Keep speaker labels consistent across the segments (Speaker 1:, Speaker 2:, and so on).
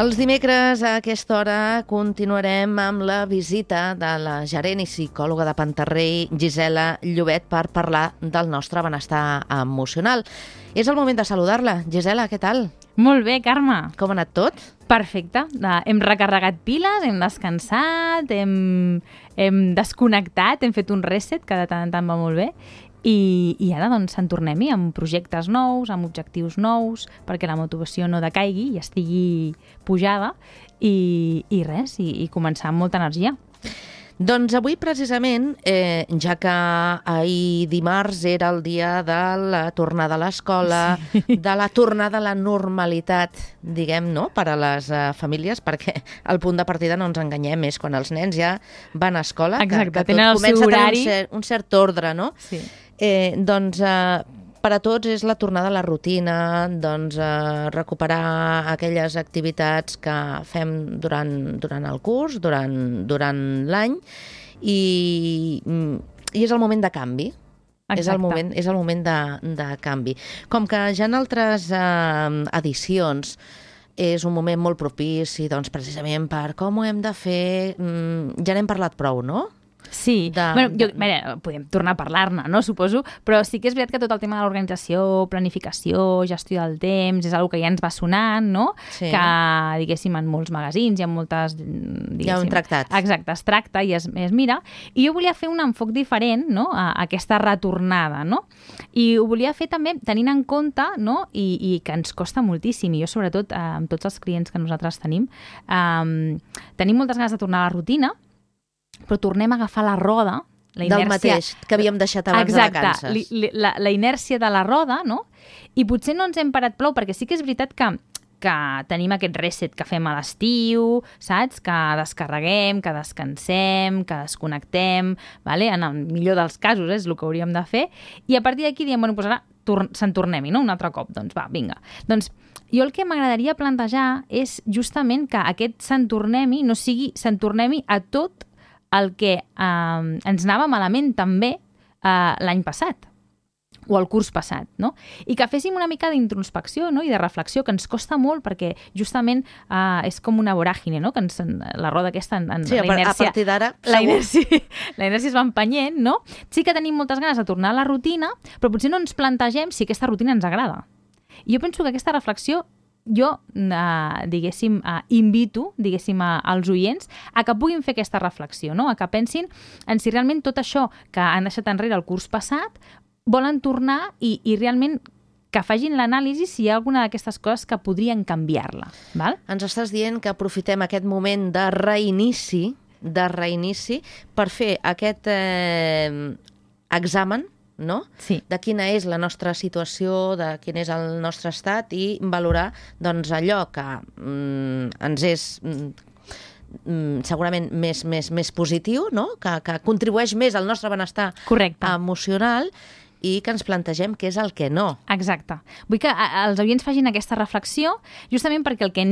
Speaker 1: Els dimecres a aquesta hora continuarem amb la visita de la gerent i psicòloga de Pantarrey, Gisela Llobet, per parlar del nostre benestar emocional. És el moment de saludar-la. Gisela, què tal?
Speaker 2: Molt bé, Carme.
Speaker 1: Com ha anat tot?
Speaker 2: Perfecte. Hem recarregat piles, hem descansat, hem desconnectat, hem fet un reset, que de tant en tant va molt bé. I ara doncs en tornem-hi amb projectes nous, amb objectius nous, perquè la motivació no decaigui i estigui pujada i res, i començar amb molta energia.
Speaker 1: Doncs avui precisament, ja que ahir dimarts era el dia de la tornada a l'escola, sí, de la tornada a la normalitat, diguem, no?, per a les famílies, perquè el punt de partida, no ens enganyem, és quan els nens ja van a escola,
Speaker 2: exacte,
Speaker 1: que tot comença a tenir un cert ordre, no?
Speaker 2: Sí.
Speaker 1: Doncs per a tots és la tornada a la rutina, doncs recuperar aquelles activitats que fem durant el curs, durant l'any, i és el moment de canvi.
Speaker 2: Exacte.
Speaker 1: És el moment de canvi. Com que ja en altres edicions és un moment molt propici, doncs precisament per com ho hem de fer, ja n'hem parlat prou, no?
Speaker 2: Sí, podem tornar a parlar-ne, no? Suposo, però sí que és veritat que tot el tema de l'organització, planificació, gestió del temps, és una que ja ens va sonant, no? Sí. Que, diguéssim, en molts magazins hi ha moltes...
Speaker 1: Hi ha un tractat.
Speaker 2: Exacte, es tracta i es mira. I jo volia fer un enfoc diferent, no?, a aquesta retornada, no? I ho volia fer també tenint en compte, no?, i que ens costa moltíssim, i jo sobretot amb tots els clients que nosaltres tenim moltes ganes de tornar a la rutina, però tornem a agafar la roda, la inèrcia...
Speaker 1: Del mateix que havíem deixat abans de vacances.
Speaker 2: Exacte, la inèrcia de la roda, no? I potser no ens hem parat prou, perquè sí que és veritat que tenim aquest reset que fem a l'estiu, saps? Que descarreguem, que descansem, que desconnectem, vale? En el millor dels casos és el que hauríem de fer, i a partir d'aquí diem, bueno, doncs ara se'n tornem-hi, no? Un altre cop, doncs va, vinga. Doncs jo el que m'agradaria plantejar és justament que aquest se'n tornem-hi no sigui se'n tornem-hi a tot el que ens anava malament també l'any passat o el curs passat, no? I que féssim una mica d'introspecció, no?, i de reflexió, que ens costa molt perquè justament és com una voràgine, no?, que la roda aquesta...
Speaker 1: Sí, la inèrcia, a partir d'ara...
Speaker 2: La inèrcia es va empenyent, no? Sí que tenim moltes ganes de tornar a la rutina, però potser no ens plantegem si aquesta rutina ens agrada. I jo penso que aquesta reflexió jo, diguéssim, invito, diguéssim, als oients a que puguin fer aquesta reflexió, no? A que pensin en si realment tot això que han deixat enrere el curs passat volen tornar i realment que facin l'anàlisi si hi ha alguna d'aquestes coses que podrien canviar-la. Val?
Speaker 1: Ens estàs dient que aprofitem aquest moment de reinici per fer aquest examen, no?
Speaker 2: Sí.
Speaker 1: De quina és la nostra situació, de quin és el nostre estat, i valorar doncs, allò que ens és segurament més positiu, no? Que contribueix més al nostre benestar emocional, i que ens plantegem què és el que no.
Speaker 2: Exacte. Vull que els oients facin aquesta reflexió justament perquè el que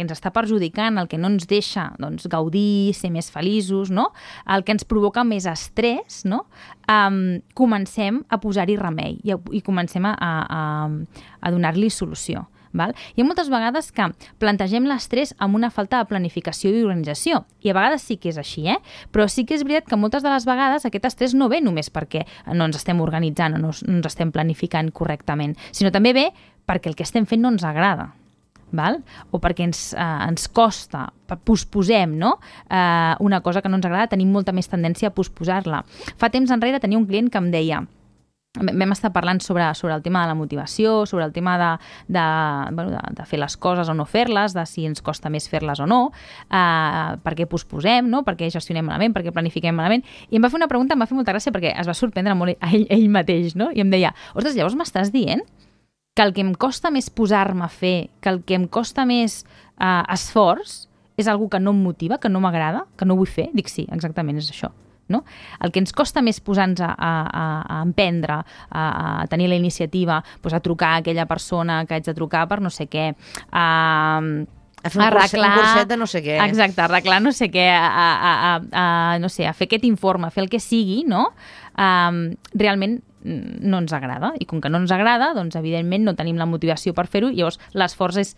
Speaker 2: ens està perjudicant, el que no ens deixa doncs, gaudir, ser més feliços, no? El que ens provoca més estrès, no? Comencem a posar-hi remei i comencem a donar-li solució. Val? Hi ha moltes vegades que plantegem l'estrès amb una falta de planificació i organització, i a vegades sí que és així, però sí que és veritat que moltes de les vegades aquest estrès no ve només perquè no ens estem organitzant o no ens estem planificant correctament, sinó també ve perquè el que estem fent no ens agrada. Val? O perquè ens costa, posposem, no? Una cosa que no ens agrada, tenim molta més tendència a posposar-la. Fa temps enrere tenia un client que em deia, vam estar parlant sobre el tema de la motivació, sobre el tema de fer les coses o no fer-les, de si ens costa més fer-les o no, per què posposem, no? Per què gestionem malament, per què planifiquem malament, i em va fer una pregunta, em va fer molta gràcia perquè es va sorprendre molt ell mateix, no? I em deia, ostres, llavors m'estàs dient que el que em costa més posar-me a fer, que el que em costa més esforç, és algo que no em motiva, que no m'agrada, que no vull fer? Dic, sí, exactament, és això. No? El que ens costa més posar-nos a emprendre, a tenir la iniciativa, doncs a trucar a aquella persona que haig de trucar per no sé què,
Speaker 1: a fer un curset de no sé què.
Speaker 2: Exacte, arreglar no sé què, no sé, a fer aquest informe, a fer el que sigui, no? Realment no ens agrada, i com que no ens agrada, doncs evidentment no tenim la motivació per fer-ho, i llavors l'esforç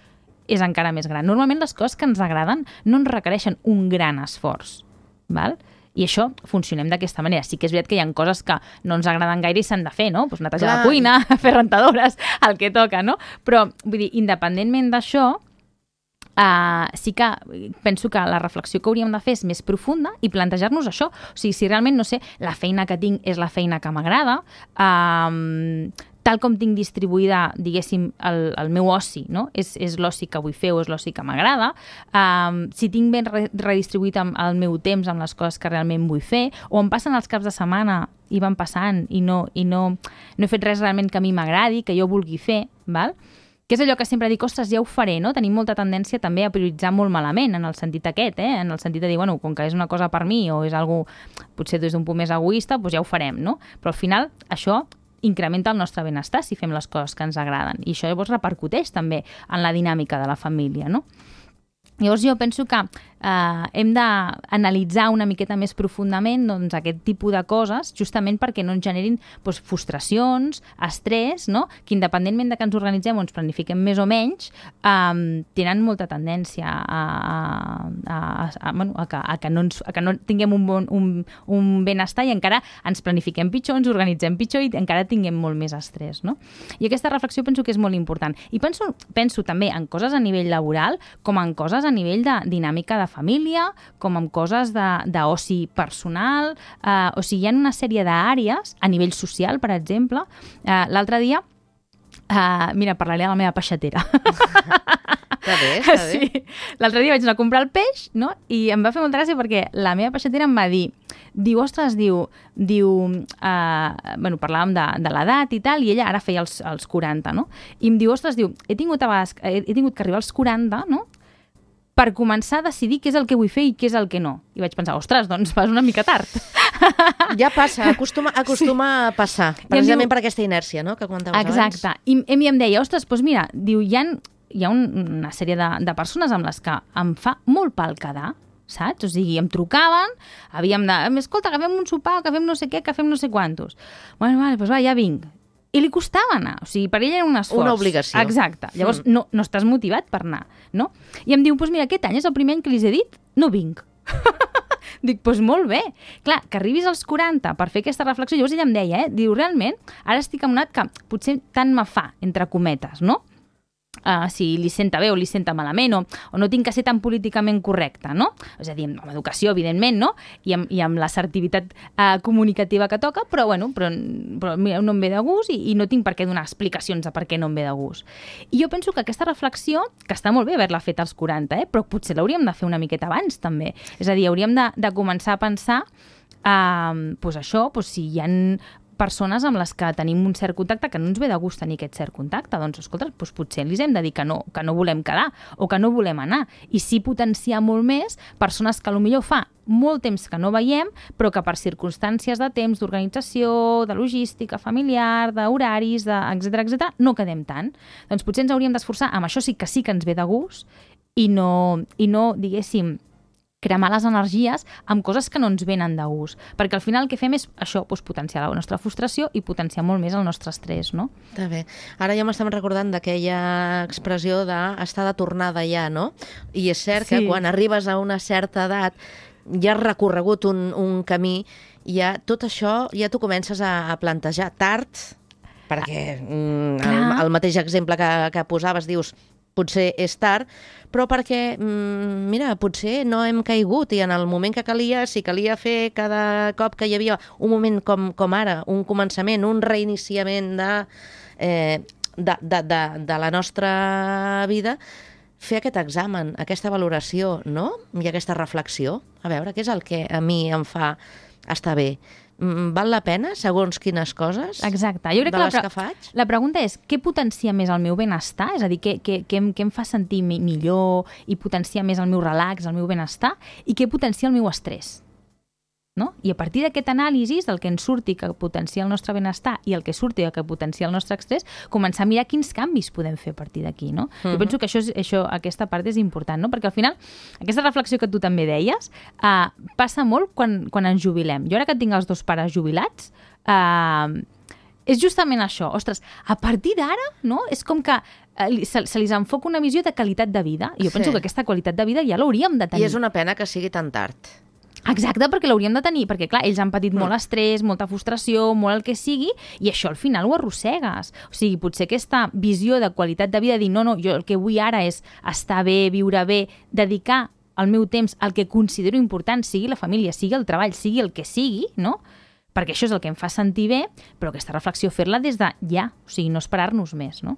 Speaker 2: és encara més gran. Normalment les coses que ens agraden no ens requereixen un gran esforç, val? I això funcionem d'aquesta manera. Sí que és veritat que hi ha coses que no ens agraden gaire i s'han de fer, no? Pues netejar la cuina, fer rentadores, el que toca, no? Però, vull dir, independentment d'això, sí que penso que la reflexió que hauríem de fer és més profunda i plantejar-nos això. O sigui, si realment, no sé, la feina que tinc és la feina que m'agrada, tal com tinc distribuïda, diguéssim, el meu oci, no? És l'oci que vull fer o és l'oci que m'agrada, si tinc ben redistribuït el meu temps amb les coses que realment vull fer, o em passen els caps de setmana i van passant i no he fet res realment que a mi m'agradi, que jo vulgui fer, val? Que és allò que sempre dic, ostres, ja ho faré, no? Tenim molta tendència també a prioritzar molt malament, en el sentit aquest, en el sentit de dir, bueno, com que és una cosa per mi o és algo, potser des d'un punt més egoista, doncs ja ho farem, no? Però al final això incrementa el nostre benestar si fem les coses que ens agraden. I això llavors repercuteix també en la dinàmica de la família, no? Llavors jo penso que hem d'analitzar una miqueta més profundament doncs, aquest tipus de coses, justament perquè no ens generin doncs, frustracions, estrès, no? Que independentment de que ens organitzem o ens planifiquem més o menys, tenen molta tendència a que no tinguem un benestar i encara ens planifiquem pitjor, ens organitzem pitjor i encara tinguem molt més estrès, no? I aquesta reflexió penso que és molt important. I penso també en coses a nivell laboral com en coses a nivell de dinàmica de família, com en coses d'oci personal, o sigui, hi ha una sèrie d'àrees, a nivell social, per exemple. L'altre dia, mira, parlaré de la meva peixatera.
Speaker 1: Està bé.
Speaker 2: Sí. L'altre dia vaig anar a comprar el peix, no? I em va fer molta gràcia perquè la meva peixatera em va dir, parlàvem de l'edat i tal, i ella ara feia els 40, no? I em diu, he tingut que arribar als 40, no? Per començar a decidir què és el que vull fer i què és el que no. I vaig pensar, ostres, doncs vas una mica tard.
Speaker 1: Ja passa, acostuma a passar, precisament per aquesta inèrcia, no?, que comentaves abans.
Speaker 2: Exacte. I em deia, ostres, doncs mira, diu, hi ha una sèrie de persones amb les que em fa molt pal quedar, saps? O sigui, em trucaven, escolta, que fem un sopar, que fem no sé què, que fem no sé quantos. Bueno, vale, doncs va, ja vinc. I li costava anar, o sigui, per ella era un esforç.
Speaker 1: Una obligació.
Speaker 2: Exacte. Llavors no estàs motivat per anar, no? I em diu, doncs mira, aquest any és el primer any que li he dit, no vinc. Dic, doncs molt bé. Clar, que arribis als 40 per fer aquesta reflexió, llavors ella em deia, diu, realment, ara estic en un que potser tant me fa, entre cometes, no? Si li senta bé o li senta malament o no tinc que ser tan políticament correcta, no? És a dir, amb educació, evidentment, no? I amb l'assertivitat comunicativa que toca, però mira, no em ve de gust i no tinc per què donar explicacions de per què no em ve de gust. I jo penso que aquesta reflexió, que està molt bé haver-la fet als 40, però potser l'hauríem de fer una miqueta abans, també. És a dir, hauríem de començar a pensar si hi ha persones amb les que tenim un cert contacte que no ens ve de gust tenir aquest cert contacte, doncs, escolta, potser els hem de dir que no volem quedar o que no volem anar. I sí potenciar molt més persones que potser fa molt temps que no veiem, però que per circumstàncies de temps, d'organització, de logística familiar, d'horaris, etc., no quedem tant. Doncs potser ens hauríem d'esforçar, amb això sí que ens ve de gust i no diguéssim, cremar les energies amb coses que no ens venen de gust. Perquè al final el que fem és això, potenciar la nostra frustració i potenciar molt més el nostre estrès, no?
Speaker 1: Està bé. Ara ja m'estem recordant d'aquella expressió d'estar de tornada ja, no? I és cert que quan arribes a una certa edat ja has recorregut un camí, ja tot això ja t'ho comences a plantejar tard, perquè el mateix exemple que posaves, dius, potser és tard, però perquè, mira, potser no hem caigut i en el moment que calia, si calia fer cada cop que hi havia un moment com ara, un començament, un reiniciament de la nostra vida, fer aquest examen, aquesta valoració, no? I aquesta reflexió, a veure què és el que a mi em fa estar bé. Val la pena, segons quines coses,
Speaker 2: exacte. Jo crec
Speaker 1: de les que faig?
Speaker 2: La pregunta és, què potencia més el meu benestar? És a dir, què em fa sentir millor i potenciar més el meu relax, el meu benestar? I què potencia el meu estrès? No? I a partir d'aquest anàlisi, del que ens surti que potencia el nostre benestar i el que surti que potencia el nostre estrès, començar a mirar quins canvis podem fer a partir d'aquí, no? Jo penso que aquesta part és important, no? Perquè al final, aquesta reflexió que tu també deies, passa molt quan ens jubilem. Jo ara que tinc els dos pares jubilats, és justament això. Ostres, a partir d'ara, no? És com que se li enfoca una visió de qualitat de vida. I jo penso que aquesta qualitat de vida ja l'hauríem de tenir.
Speaker 1: I és una pena que sigui tan tard.
Speaker 2: Exacte, perquè l'hauríem de tenir, perquè clar, ells han patit molt estrès, molta frustració, molt el que sigui, i això al final ho arrossegues. O sigui, potser aquesta visió de qualitat de vida, dir no, jo el que vull ara és estar bé, viure bé, dedicar el meu temps al que considero important, sigui la família, sigui el treball, sigui el que sigui, no? Perquè això és el que em fa sentir bé, però aquesta reflexió fer-la des de ja, o sigui, no esperar-nos més, no?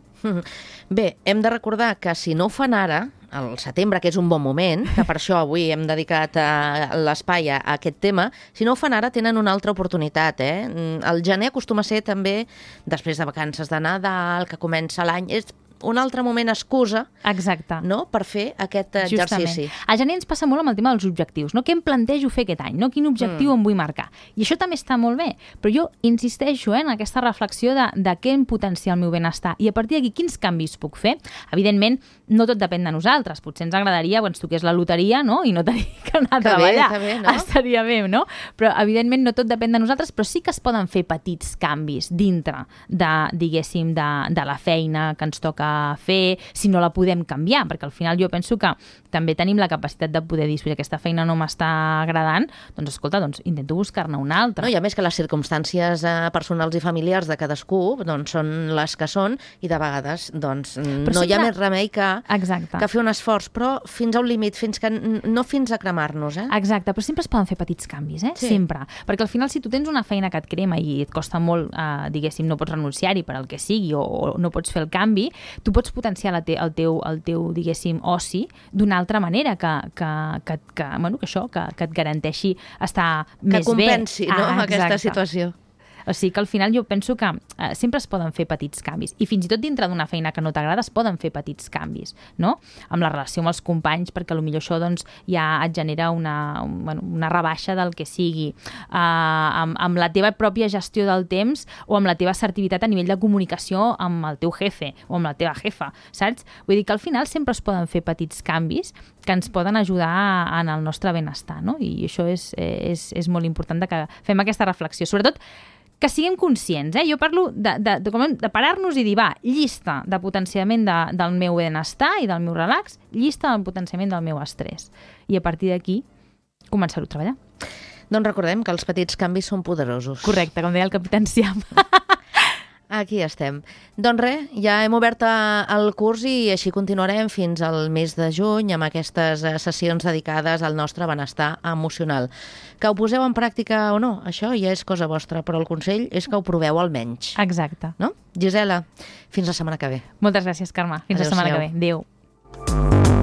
Speaker 1: Bé, hem de recordar que si no ho fan ara, al setembre, que és un bon moment, que per això avui hem dedicat l'espai a aquest tema, si no ho fan ara tenen una altra oportunitat. El gener acostuma a ser també, després de vacances de Nadal, que comença l'any, és un altre moment excusa,
Speaker 2: exacte,
Speaker 1: no?, per fer aquest exercici.
Speaker 2: Al gener ens passa molt amb el tema dels objectius, no? Què em plantejo fer aquest any, no? Quin objectiu em vull marcar. I això també està molt bé, però jo insisteixo en aquesta reflexió de què em potencia el meu benestar i a partir d'aquí quins canvis puc fer. Evidentment, no tot depèn de nosaltres. Potser ens agradaria que ens toqués la loteria, no?, i no tenir que anar a treballar.
Speaker 1: Bé, no?
Speaker 2: Estaria bé, no? Però, evidentment, no tot depèn de nosaltres, però sí que es poden fer petits canvis dintre diguéssim, de la feina que ens toca fer, si no la podem canviar, perquè al final jo penso que també tenim la capacitat de poder dir, si aquesta feina no m'està agradant, doncs escolta, intento buscar-ne una altra.
Speaker 1: No, i a més que les circumstàncies personals i familiars de cadascú són les que són i de vegades no hi ha més remei que fer un esforç, però fins a un límit, no fins a cremar-nos.
Speaker 2: Exacte, però sempre es poden fer petits canvis, sempre. Perquè al final si tu tens una feina que et crema i et costa molt, diguéssim, no pots renunciar-hi per al que sigui o no pots fer el canvi, tu pots potenciar el teu diguéssim, oci d'una altra manera que et garanteixi estar més bé.
Speaker 1: Que compensi, aquesta situació.
Speaker 2: O sigui que al final jo penso que sempre es poden fer petits canvis. I fins i tot dintre d'una feina que no t'agrada es poden fer petits canvis, no? Amb la relació amb els companys, perquè potser això ja et genera una rebaixa del que sigui. Amb la teva pròpia gestió del temps o amb la teva assertivitat a nivell de comunicació amb el teu jefe o amb la teva jefa, saps? Vull dir que al final sempre es poden fer petits canvis que ens poden ajudar en el nostre benestar, no? I això és molt important que fem aquesta reflexió. Sobretot que siguem conscients. Jo parlo de parar-nos i dir, llista de potenciament del meu benestar i del meu relax, llista del potenciament del meu estrès. I a partir d'aquí, començar-ho a treballar.
Speaker 1: Doncs recordem que els petits canvis són poderosos.
Speaker 2: Correcte, com deia el capità Enciam.
Speaker 1: Aquí estem. Doncs res, ja hem obert el curs i així continuarem fins al mes de juny amb aquestes sessions dedicades al nostre benestar emocional. Que ho poseu en pràctica o no, això ja és cosa vostra, però el consell és que ho proveu almenys.
Speaker 2: Exacte.
Speaker 1: No? Gisela, fins la setmana que ve.
Speaker 2: Moltes gràcies, Carme. Fins la setmana que ve. Adéu.